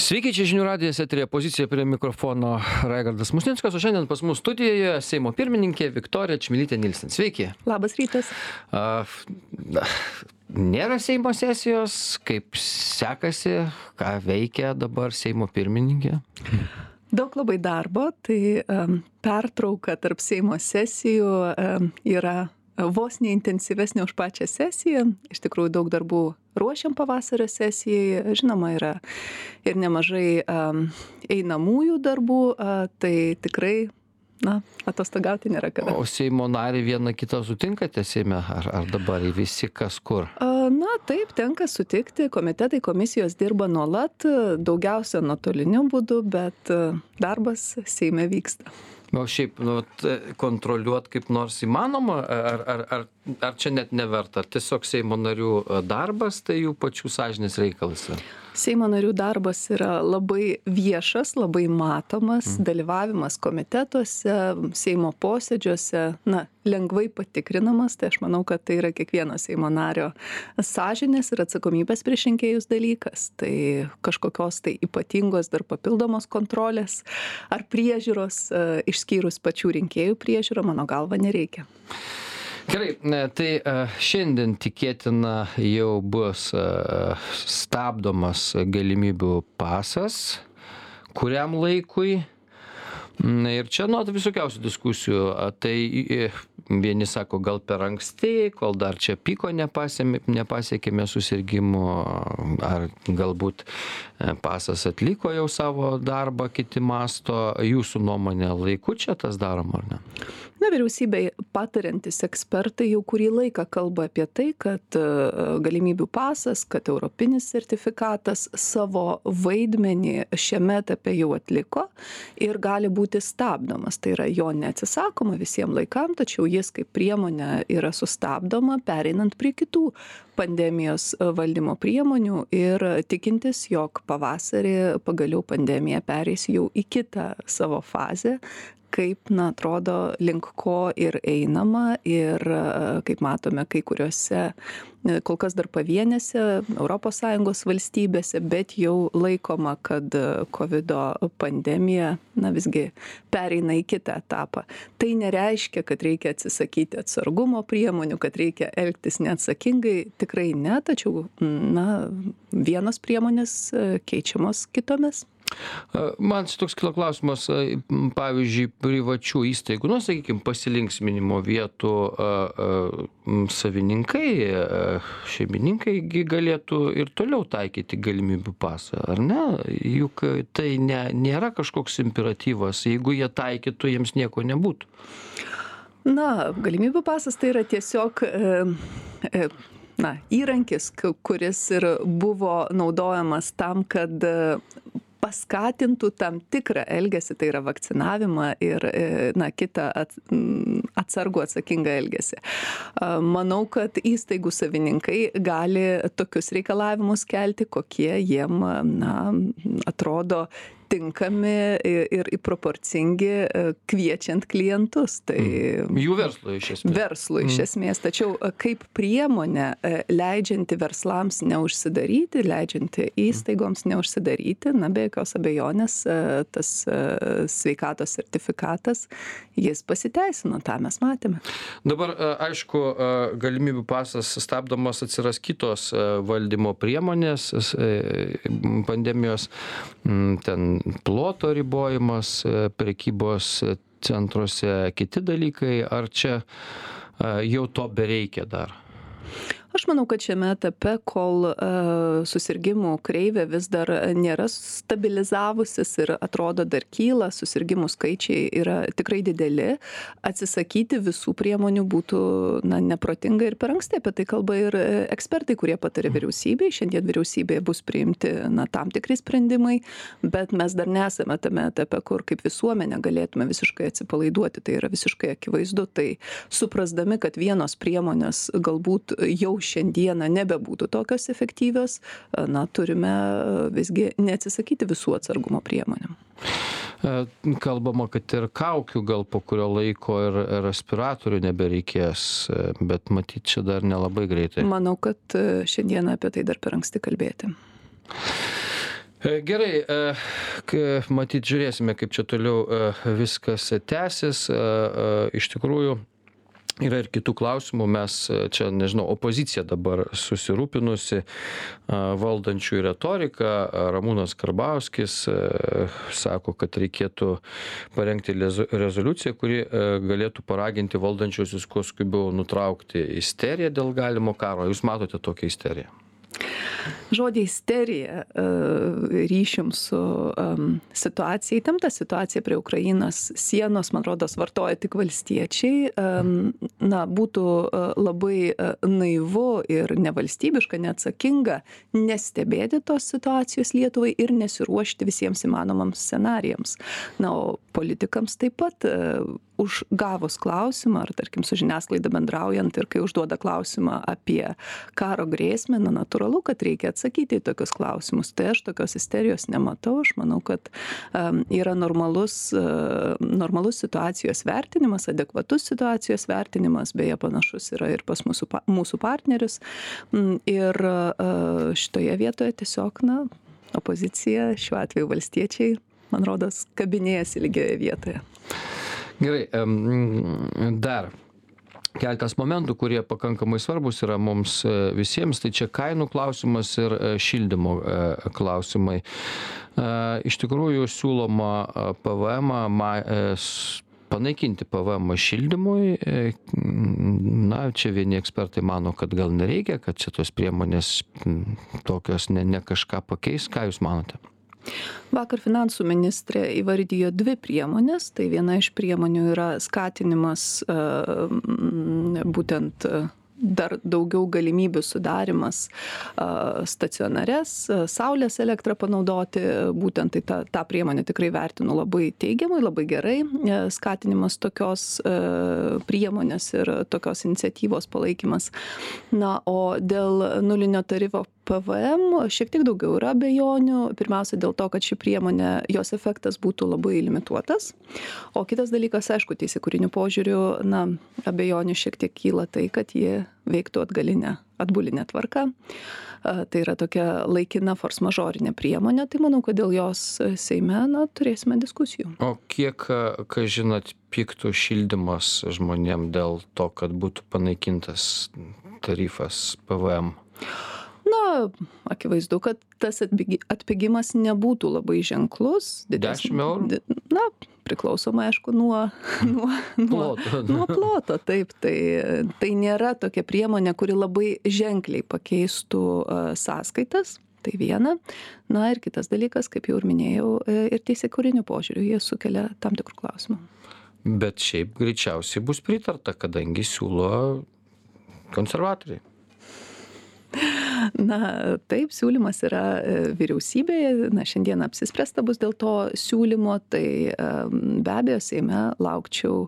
Sveiki, čia žinių radijas, eterija pozicija prie mikrofono Raigardas Musnickas, o šiandien pas mus studijoje Seimo pirmininkė Viktorija Čmilytė Nilsen. Sveiki. Labas rytas. Nėra Seimo sesijos, kaip sekasi, ką veikia dabar Seimo pirmininkė? Daug labai darbo, tai pertrauka tarp Seimo sesijų yra vos neintensyvesnė už pačią sesiją. Iš tikrųjų daug darbų ruošiam pavasario sesijai. Žinoma, yra ir nemažai einamųjų darbų, tai tikrai atostogauti nėra kada. O Seimo narį vieną kitą sutinkate Seime, ar dabar visi kas kur? Taip, tenka sutikti. Komitetai, komisijos dirba nuolat, daugiausia nuotoliniu būdu, bet darbas Seime vyksta. O šiaip kontroliuot kaip nors įmanoma, ar čia net neverta? Ar tiesiog Seimo narių darbas, tai jų pačių sąžinės reikalas? Seimo narių darbas yra labai viešas, labai matomas, dalyvavimas komitetuose, Seimo posėdžiuose, lengvai patikrinamas, tai aš manau, kad tai yra kiekvieno Seimo nario sąžinės ir atsakomybės prieš rinkėjus dalykas. Tai kažkokios tai ypatingos dar papildomos kontrolės ar priežiūros, išskyrus pačių rinkėjų priežiūrą, mano galva, nereikia. Gerai, tai šiandien tikėtina jau bus stabdomas galimybių pasas kuriam laikui. Ir čia visokiausių diskusijų. Tai vieni sako, gal per anksti, kol dar čia piko nepasiekėme susirgimų, ar galbūt pasas atliko jau savo darbą, kiti masto. Jūsų nuomonė, laiku čia tas daroma, ar ne? Vyriausybei patariantis ekspertai jau kurį laiką kalba apie tai, kad galimybių pasas, kad europinis sertifikatas savo vaidmenį šiame etape jau atliko ir gali būti stabdomas. Tai yra jo neatsisakoma visiems laikam, tačiau jis kaip priemonė yra sustabdoma, pereinant prie kitų pandemijos valdymo priemonių ir tikintis, jog pavasarį pagaliau pandemija pereis jau į kitą savo fazę, kaip, atrodo, link ko ir einama ir, kaip matome, kai kuriuose, kol kas dar pavienėse ES valstybėse, bet jau laikoma, kad COVID pandemija, visgi pereina į kitą etapą. Tai nereiškia, kad reikia atsisakyti atsargumo priemonių, kad reikia elgtis neatsakingai, tikrai ne, tačiau, vienos priemonės keičiamos kitomis. Man toks kilo klausimas, pavyzdžiui, privačių įstaigų, sakykime, pasilinksminimo vietų savininkai, šeimininkai galėtų ir toliau taikyti galimybių pasą, ar ne? Juk tai nėra kažkoks imperatyvas, jeigu jie taikytų, jiems nieko nebūtų. Galimybių pasas tai yra tiesiog įrankis, kuris ir buvo naudojamas tam, kad paskatintų tam tikrą elgesį, tai yra vakcinavimą ir kitą atsargų atsakingą elgesį. Manau, kad įstaigų savininkai gali tokius reikalavimus kelti, kokie jiem atrodo tinkami ir proporcingi kviečiant klientus. Tai jų verslui iš esmės. Verslui iš esmės. Tačiau kaip priemonė leidžianti verslams neužsidaryti, leidžianti įstaigoms neužsidaryti, be jokios abejonės tas sveikatos sertifikatas, jis pasiteisino, tą mes matėme. Dabar, aišku, galimybių pasas stabdomas, atsiras kitos valdymo priemonės, pandemijos, ten ploto ribojimas, prekybos centruose, kiti dalykai, ar čia jau to bereikia dar? Aš manau, kad šiame etape, kol susirgimų kreivė vis dar nėra stabilizavusis ir atrodo dar kyla, susirgimų skaičiai yra tikrai dideli, atsisakyti visų priemonių būtų neprotinga ir per anksti. Apie tai kalba ir ekspertai, kurie patarė vyriausybei. Šiandien vyriausybėje bus priimti tam tikri sprendimai, bet mes dar nesame tame etape, kur kaip visuomenė galėtume visiškai atsipalaiduoti. Tai yra visiškai akivaizdu. Tai suprasdami, kad vienos priemonės galbūt jau šiandieną nebebūtų tokios efektyvios, turime visgi neatsisakyti visų atsargumo priemonių. Kalbama, kad ir kaukių gal po kurio laiko ir respiratorių nebereikės, bet matyt, čia dar nelabai greitai. Manau, kad šiandieną apie tai dar per anksti kalbėti. Gerai, matyt, žiūrėsime, kaip čia toliau viskas tęsis. Iš tikrųjų, yra ir kitų klausimų. Mes čia, nežinau, opozicija dabar susirūpinusi valdančiųjų retorika. Ramūnas Karbauskis sako, kad reikėtų parengti rezoliuciją, kuri galėtų paraginti valdančiuosius kuo skubiau nutraukti isteriją dėl galimo karo. Jūs matote tokią isteriją? Žodį isterija ryšium su situacija, įtempta situacija prie Ukrainos sienos, man rodos, vartoja tik valstiečiai. Būtų labai naivu ir nevalstybiška, neatsakinga nestebėti tos situacijos Lietuvai ir nesiruošti visiems įmanomams scenarijams. O politikams taip pat užgavus klausimą, ar tarkim su žiniasklaida bendraujant ir kai užduoda klausimą apie karo grėsmę, natūralu, kad reikia atsakyti į tokius klausimus. Tai aš tokios isterijos nematau. Aš manau, kad yra normalus situacijos vertinimas, adekvatus situacijos vertinimas, beje, panašus yra ir pas mūsų partnerius. Ir šitoje vietoje tiesiog, opozicija, šiuo atveju valstiečiai, man rodos, kabinėjasi lygioje vietoje. Gerai, dar keletas momentų, kurie pakankamai svarbus yra mums visiems, tai čia kainų klausimas ir šildymo klausimai. Iš tikrųjų siūloma panaikinti PVM šildymui. Čia vieni ekspertai mano, kad gal nereikia, kad čia tos priemonės tokios ne kažką pakeis. Ką Jūs manote? Vakar finansų ministrė įvardijo 2 priemonės. Tai viena iš priemonių yra skatinimas būtent dar daugiau galimybių sudarimas stacionares, saulės elektrą panaudoti. Būtent tai tą priemonę tikrai vertinu labai teigiamai, labai gerai. Skatinimas tokios priemonės ir tokios iniciatyvos palaikymas. O dėl nulinio tarifo PVM šiek tiek daugiau yra abejonių. Pirmiausia dėl to, kad ši priemonė, jos efektas būtų labai limituotas. O kitas dalykas, aišku, teisėkūriniu požiūriu, abejonių šiek tiek kyla tai, kad jie veiktų atbulinę tvarką. Tai yra tokia laikina force majorinė priemonė. Tai manau, kad dėl jos Seime turėsime diskusijų. O kiek, žinot, pyktų šildymas žmonėm dėl to, kad būtų panaikintas tarifas PVM? Akivaizdu, kad tas atpigimas nebūtų labai ženklus. 10 eurų? Priklausomai, aišku, nuo ploto. Taip, tai nėra tokia priemonė, kuri labai ženkliai pakeistų sąskaitas. Tai viena. Ir kitas dalykas, kaip jau ir minėjau, ir teisėkūriniu požiūriu jie sukelia tam tikrų klausimų. Bet šiaip greičiausiai bus pritarta, kadangi siūlo konservatoriai. Taip, siūlymas yra vyriausybėje. Šiandien apsispręsta bus dėl to siūlymo, tai be abejo Seime laukčiau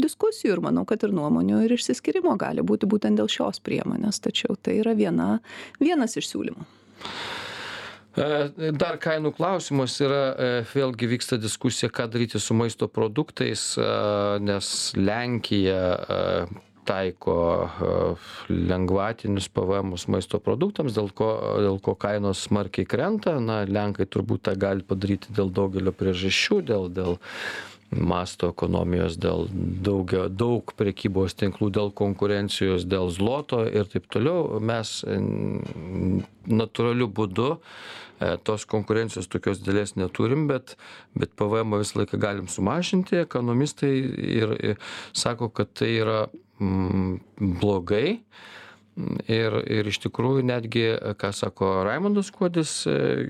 diskusijų ir manau, kad ir nuomonių ir išsiskyrimo gali būti būtent dėl šios priemonės. Tačiau tai yra vienas iš siūlymų. Dar kainų klausimas yra, vėlgi vyksta diskusija, ką daryti su maisto produktais, nes Lenkija taiko lengvatinius PVM maisto produktams, dėl ko kainos smarkiai krenta. Lenkai turbūt tą gali padaryti dėl daugelio priežasčių, dėl masto ekonomijos, dėl daug prekybos tinklų, dėl konkurencijos, dėl zloto ir taip toliau. Mes natūraliu būdu tos konkurencijos tokios didelės neturim, bet PVM visą laiką galim sumažinti. Ekonomistai ir sako, kad tai yra blogai ir iš tikrųjų netgi, ką sako Raimundas Kuodis,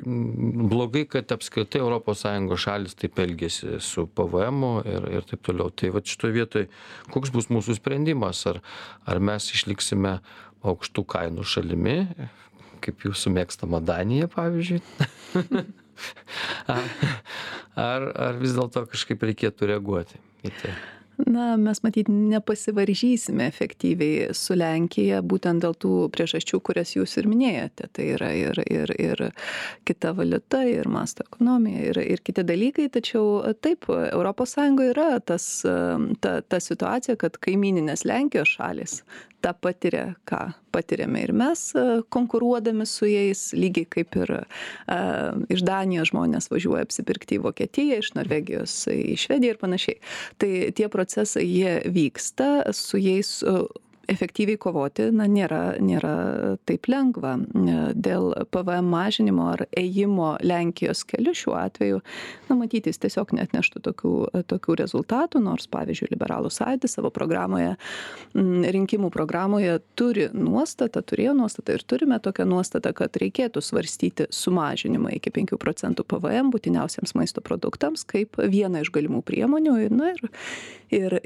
blogai, kad apskritai ES šalis taip elgėsi su PVM ir taip toliau. Tai šitoje vietoje koks bus mūsų sprendimas? Ar mes išliksime aukštų kainų šalimi, kaip jūsų mėgstama Danija, pavyzdžiui? Ar vis dėlto kažkaip reikėtų reaguoti į tai? Mes matyt nepasivaržysime efektyviai su Lenkija būtent dėl tų priežasčių, kurias jūs ir minėjote. Tai yra ir kita valiuta, ir masto ekonomija, ir kiti dalykai. Tačiau taip, ES yra ta situacija, kad kaimyninės Lenkijos šalis tą patiria, ką patiriame ir mes konkuruodami su jais, lygiai kaip ir iš Danijos žmonės važiuoja apsipirkti į Vokietiją, iš Norvegijos į Švediją ir panašiai. Tai tie procesai, jie vyksta, su jais efektyviai kovoti nėra taip lengva. Dėl PVM mažinimo ar ėjimo Lenkijos keliu šiuo atveju, matytis tiesiog neatneštų tokių rezultatų, nors, pavyzdžiui, Liberalų sąjūdis savo programoje, rinkimų programoje turėjo nuostatą ir turime tokią nuostatą, kad reikėtų svarstyti sumažinimą iki 5% PVM būtiniausiems maisto produktams kaip vieną iš galimų priemonių ir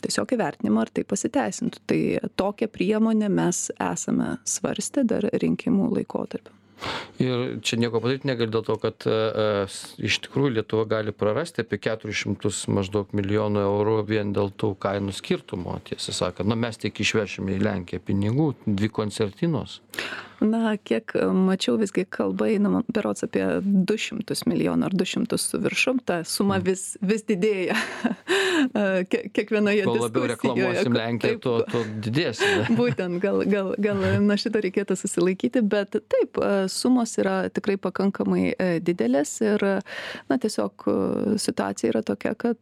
tiesiog įvertinimą, ar tai pasiteisintų. Tai tokią priemonę mes esame svarstę dar rinkimų laikotarpiu. Ir čia nieko padaryti negali dėl to, kad iš tikrųjų Lietuva gali prarasti apie 400 maždaug milijonų eurų vien dėl tų kainų skirtumo, tiesą sakant. Mes tik išvešime į Lenkiją pinigų, 2 koncertinos. Kiek mačiau, visgi kalba eina berods apie 200 milijonų ar 200 su viršum, ta suma vis didėja kiekvienoje diskusijoje. Kuo labiau reklamuosim Lenkiją, tuo didės. Būtent, gal nuo šito reikėtų susilaikyti, bet taip, sumos yra tikrai pakankamai didelės ir tiesiog situacija yra tokia, kad,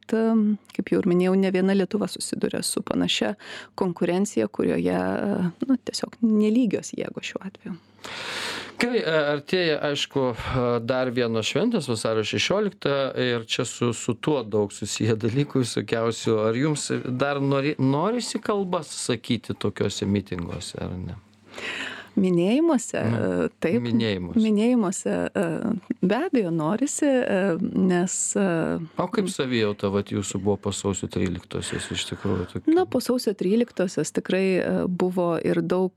kaip jau ir minėjau, ne viena Lietuva susiduria su panašia konkurencija, kurioje tiesiog nelygios jėgos šiuo atveju. Gerai, artėja, aišku, dar vienos šventės, vasario 16, ir čia su tuo daug susiję dalykų visokiausių. Ar jums dar norisi kalbas sakyti tokiuose mitinguose, ar ne? Minėjimuose, taip. Minėjimuose be abejo norisi, nes... O kaip savijauta jūsų buvo po sausio 13-osios iš tikrųjų? Po sausio 13-osios tikrai buvo ir daug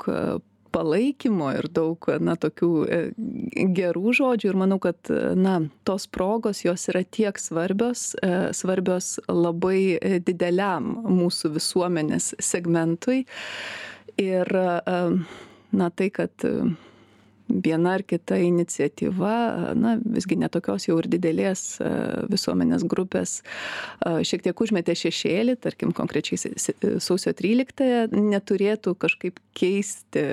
palaikymo ir daug tokių gerų žodžių ir manau, kad tos progos jos yra tiek svarbios labai dideliam mūsų visuomenės segmentui ir tai, kad viena ar kita iniciatyva, visgi netokios jau ir didelės visuomenės grupės šiek tiek užmetė šešėlį, tarkim konkrečiai sausio 13-ąją, neturėtų kažkaip keisti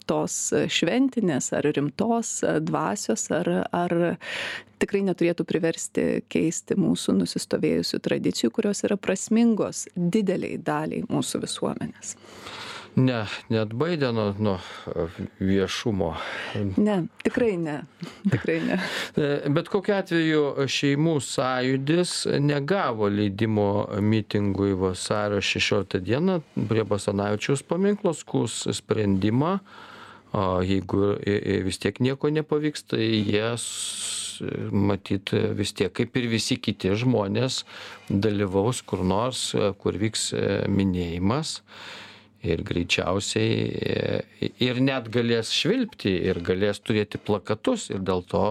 tos šventinės ar rimtos dvasios, ar tikrai neturėtų priversti keisti mūsų nusistovėjusių tradicijų, kurios yra prasmingos dideliai daliai mūsų visuomenės. Neatbaidė nuo viešumo. Ne, tikrai ne. Bet kokiu atveju šeimų sąjūdis negavo leidimo mitingui vasario 16 dieną prie Basanavičiaus paminklo, skųs sprendimą. Jeigu vis tiek nieko nepavyks, tai jie matyt vis tiek, kaip ir visi kiti žmonės, dalyvaus kur nors, kur vyks minėjimas. Ir greičiausiai ir net galės švilpti ir galės turėti plakatus ir dėl to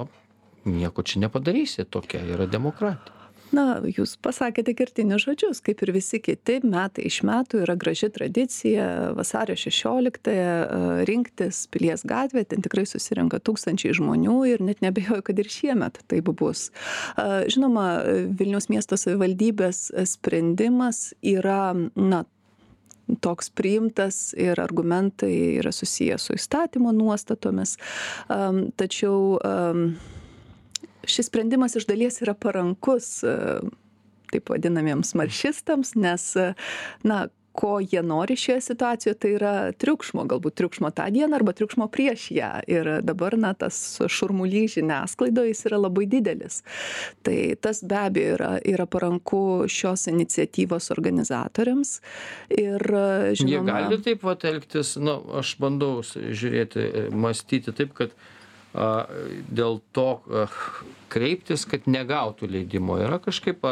nieko čia nepadarysi, tokia yra demokratija. Jūs pasakėte kertinius žodžius, kaip ir visi kiti, metai iš metų yra graži tradicija vasario 16 rinktis Pilies gatvėje, ten tikrai susirenka tūkstančiai žmonių ir net nebejoju, kad ir šiemet taip bus. Žinoma, Vilniaus miesto savivaldybės sprendimas yra, toks priimtas ir argumentai yra susiję su įstatymo nuostatomis, tačiau šis sprendimas iš dalies yra parankus taip vadinamiems maršistams, nes ko jie nori šioje situacijoje, tai yra triukšmo, galbūt triukšmo tą dieną arba triukšmo prieš ją. Ir dabar tas šurmulys žiniasklaidoje jis yra labai didelis. Tai tas be abejo yra paranku šios iniciatyvos organizatoriams. Ir žinoma... Jie gali taip elgtis, aš bandau žiūrėti, mąstyti taip, kad dėl to kreiptis, kad negautų leidimo. Yra kažkaip,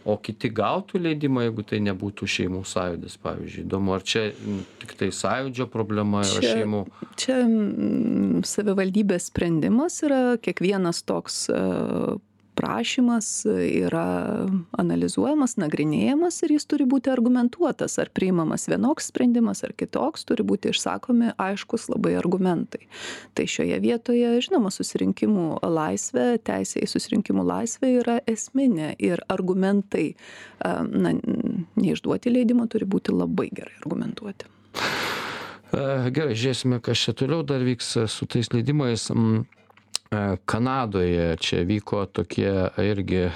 o kiti gautų leidimą, jeigu tai nebūtų šeimų sąjūdis, pavyzdžiui. Įdomu, ar čia tik tai sąjūdžio problema yra šeimų? Čia savivaldybės sprendimas yra, kiekvienas toks prašymas yra analizuojamas, nagrinėjamas ir jis turi būti argumentuotas, ar priimamas vienoks sprendimas ar kitoks, turi būti išsakomi aiškus labai argumentai. Tai šioje vietoje, žinoma, susirinkimų laisvė, teisė į susirinkimų laisvę yra esminė ir argumentai, neišduoti leidimo turi būti labai gerai argumentuoti. Gerai, žiūrėsime, kas čia toliau dar vyks su tais leidimais. Kanadoje čia vyko tokie irgi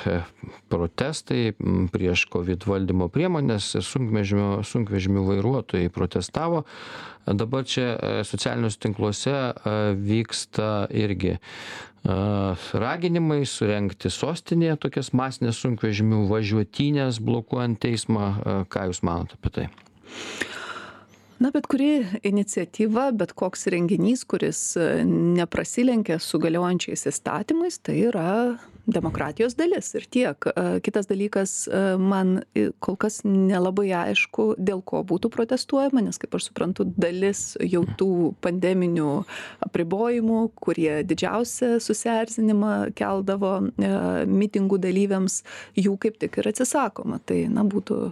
protestai prieš COVID valdymo priemonės, sunkvežimių vairuotojai protestavo. Dabar čia socialiniuose tinkluose vyksta irgi raginimai surengti sostinėje tokias masinės sunkvežimių važiuotynės blokuojant teismą. Ką Jūs manote apie tai? Na, bet kuri iniciatyva, bet koks renginys, kuris neprasilenkia su galiojančiais įstatymais, tai yra demokratijos dalis ir tiek. Kitas dalykas, man kol kas nelabai aišku, dėl ko būtų protestuojama, nes, kaip aš suprantu, dalis jau tų pandeminių apribojimų, kurie didžiausią susierzinimą keldavo mitingų dalyviams, jų kaip tik ir atsisakoma. Tai, na, būtų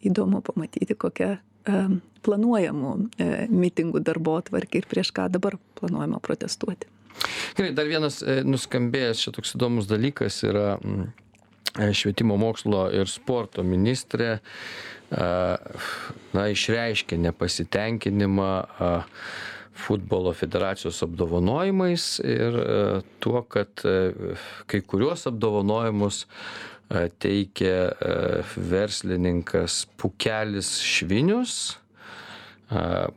įdomu pamatyti, kokia planuojamų mitingų darbotvarkė ir prieš ką dabar planuojama protestuoti. Gerai, dar vienas nuskambėjęs čia toks įdomus dalykas yra švietimo mokslo ir sporto ministrė išreiškė nepasitenkinimą futbolo federacijos apdovanojimais ir tuo, kad kai kuriuos apdovanojimus teikia verslininkas Pūkelis Švinius.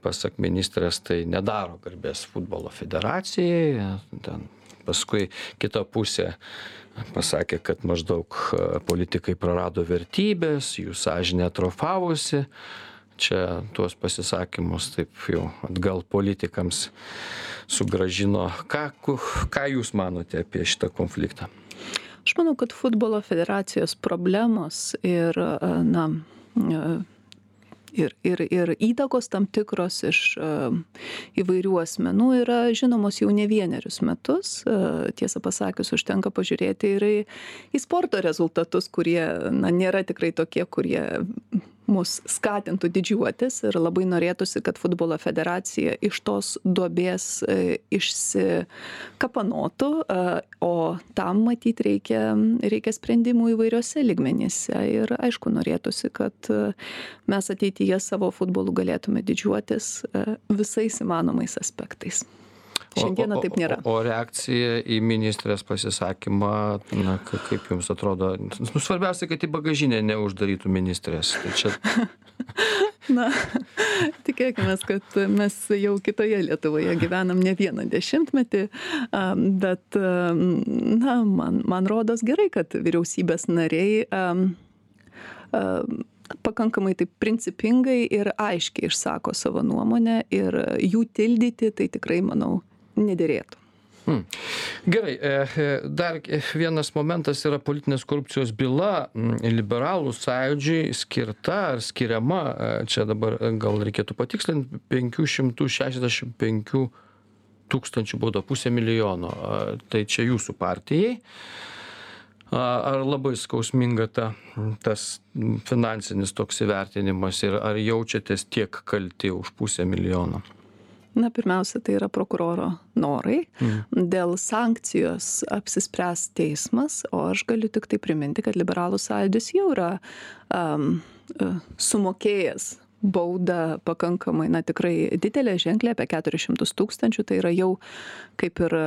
Pasak ministrės, tai nedaro garbės futbolo federacijai. Ten paskui kita pusė pasakė, kad maždaug politikai prarado vertybės, jų sąžinė atrofavosi. Čia tuos pasisakymus taip jau atgal politikams sugrąžino. Ką Jūs manote apie šitą konfliktą? Aš manau, kad futbolo federacijos problemos ir įtakos tam tikros iš įvairių asmenų yra žinomos jau ne vienerius metus. Tiesą pasakius, užtenka pažiūrėti ir į sporto rezultatus, kurie nėra tikrai tokie, kurie mus skatintų didžiuotis ir labai norėtųsi, kad futbolo federacija iš tos duobės išsikapanotų, o tam matyt reikia sprendimų įvairiose lygmenyse ir aišku norėtųsi, kad mes ateityje savo futbolu galėtume didžiuotis visais įmanomais aspektais. Šiandieną taip nėra. O reakcija į ministrės pasisakymą, kaip Jums atrodo, svarbiausia, kad į bagažinę neuždarytų ministrės. Tai čia... Na, tikėkime, kad mes jau kitoje Lietuvoje gyvenam ne vieną dešimtmetį, bet man rodos gerai, kad vyriausybės nariai pakankamai taip principingai ir aiškiai išsako savo nuomonę ir jų tildyti, tai tikrai, manau, nederėtų. Gerai, dar vienas momentas yra politinės korupcijos byla liberalų sąjūdžiui skirta ar skiriama, čia dabar gal reikėtų patikslinti, 565 tūkstančių bauda, 500 milijono. Tai čia Jūsų partijai. Ar labai skausminga tas finansinis toks įvertinimas ir ar jaučiatės tiek kalti už 500 milijono? Na, pirmiausia, tai yra prokuroro norai. Dėl sankcijos apsispręs teismas, o aš galiu tik tai priminti, kad liberalų sąjūdis jau yra sumokėjęs baudą pakankamai, tikrai didelė, ženklė, apie 400 tūkstančių, tai yra jau kaip ir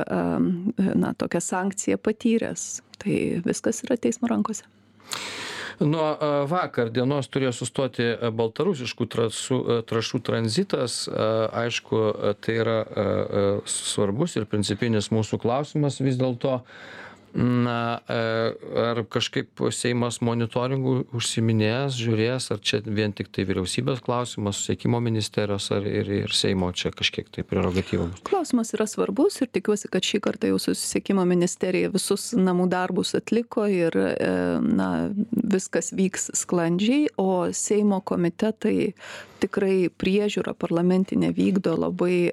tokia sankcija patyręs. Tai viskas yra teismo rankose. Nuo vakar dienos turėjo sustoti baltarusiškų trąšų tranzitas. Aišku, tai yra svarbus ir principinis mūsų klausimas vis dėlto. Ar kažkaip Seimas monitoringu užsiiminės, žiūrės, ar čia vien tik tai vyriausybės klausimas, susisiekimo ministerijos ar ir Seimo čia kažkiek tai prerogatyvų? Klausimas yra svarbus ir tikiuosi, kad šį kartą jau susisiekimo ministerija visus namų darbus atliko ir viskas vyks sklandžiai, o Seimo komitetai tikrai priežiūrą parlamentinę vykdo labai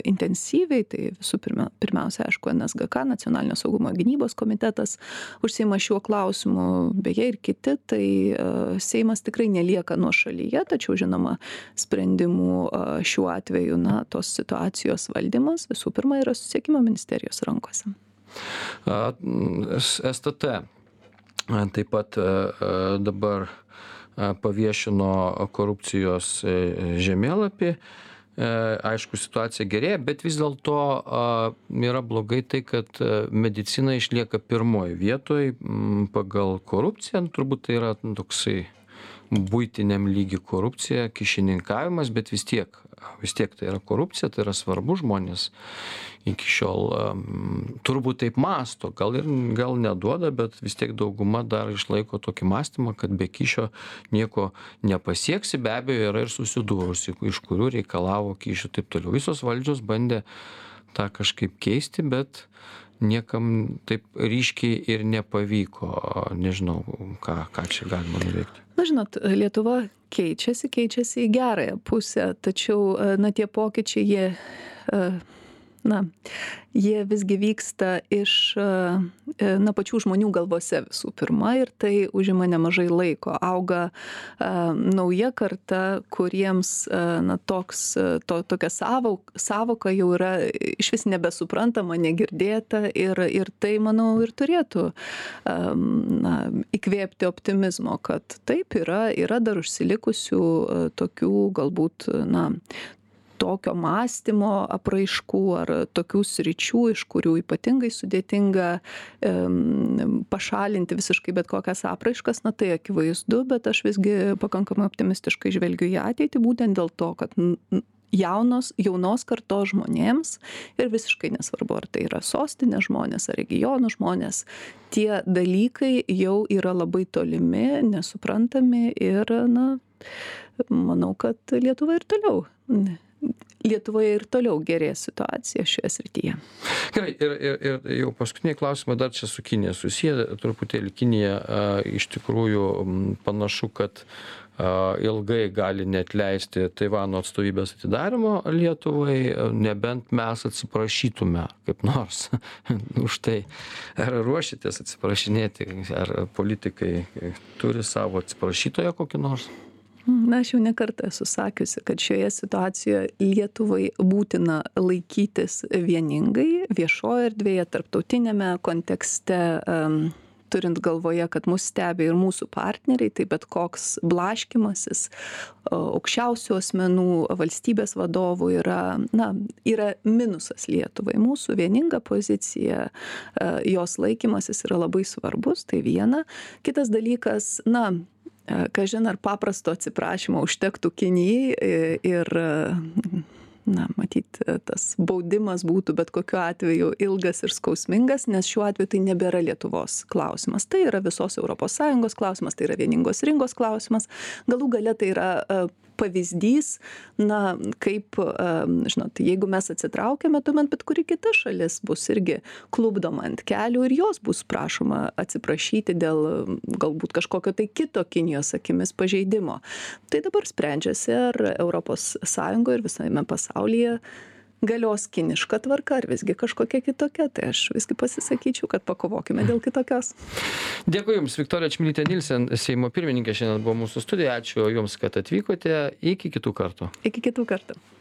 intensyviai, tai visų pirmiausia, aišku, NSGK, Nacionalinio saugumo gynybos komitetas užsiima šiuo klausimu, beje ir kiti, tai Seimas tikrai nelieka nuošalyje, tačiau žinoma sprendimų šiuo atveju, tos situacijos valdymas visų pirma yra susisiekimo ministerijos rankose. STT taip pat dabar paviešino korupcijos žemėlapį aišku, situacija gerėja, bet vis dėlto yra blogai tai, kad medicina išlieka pirmoji vietoj pagal korupciją. Turbūt tai yra toksai buitiniam lygi korupcija, kišininkavimas, bet vis tiek tai yra korupcija, tai yra svarbu, žmonės iki šiol turbūt taip mąsto, gal neduoda, bet vis tiek dauguma dar išlaiko tokį mąstymą, kad be kyšio nieko nepasieksi, be abejo yra ir susidūrusi, iš kurių reikalavo kyšių taip toliau. Visos valdžios bandė tą kažkaip keisti, bet niekam taip ryškiai ir nepavyko. Nežinau, ką čia galima nuveikti. Na, žinot, Lietuva keičiasi į gerąją pusę, tačiau, tie pokyčiai, jie visgi vyksta iš, pačių žmonių galvose visų pirma ir tai užima nemažai laiko. Auga nauja karta, kuriems tokia sąvoka jau yra išvis nebesuprantama, negirdėta ir tai, manau, ir turėtų įkvėpti optimizmo, kad taip yra dar užsilikusių tokių galbūt tokio mąstymo apraiškų ar tokių sričių, iš kurių ypatingai sudėtinga pašalinti visiškai bet kokias apraiškas, tai akivaizdu, bet aš visgi pakankamai optimistiškai žvelgiu į ateitį, būtent dėl to, kad jaunos kartos žmonėms ir visiškai nesvarbu, ar tai yra sostinės žmonės, ar regionų žmonės, tie dalykai jau yra labai tolimi, nesuprantami ir, manau, kad Lietuvoje ir toliau gerės situacija šioje srityje. Gerai, ir jau paskutiniai klausimai dar čia su Kinija susiję, truputėlį Kinija iš tikrųjų panašu, kad ilgai gali neatleisti Taivano atstovybės atidarimo Lietuvai, nebent mes atsiprašytume kaip nors už tai. Ar ruošitės atsiprašinėti, ar politikai turi savo atsiprašytoją kokį nors? Aš jau ne kartą esu sakiusi, kad šioje situacijoje Lietuvai būtina laikytis vieningai viešoje erdvėje, tarptautinėme kontekste, turint galvoje, kad mus stebi ir mūsų partneriai, tai bet koks blaškymasis aukščiausių asmenų, valstybės vadovų yra minusas Lietuvai. Mūsų vieninga pozicija, jos laikymasis yra labai svarbus, tai viena. Kitas dalykas, kažin ar paprasto atsiprašymo užtektų Kinijai ir, matyt, tas baudimas būtų bet kokiu atveju ilgas ir skausmingas, nes šiuo atveju tai nebėra Lietuvos klausimas. Tai yra visos ES klausimas, tai yra vieningos rinkos klausimas. Galų gale tai yra pavyzdys, kaip, žinot, jeigu mes atsitraukiame, tuomet bet kuri kita šalis bus irgi klupdoma ant kelių ir jos bus prašoma atsiprašyti dėl galbūt kažkokio tai kito Kinijos akimis pažeidimo. Tai dabar sprendžiasi, ar ES ir visame pasaulyje galios kiniška tvarka, ar visgi kažkokia kitokia. Tai aš visgi pasisakyčiau, kad pakovokime dėl kitokios. Dėkui Jums, Viktorija Čmilytė Nilsen, Seimo pirmininkė, šiandien buvo mūsų studijoje. Ačiū Jums, kad atvykote. Iki kitų kartų. Iki kitų kartų.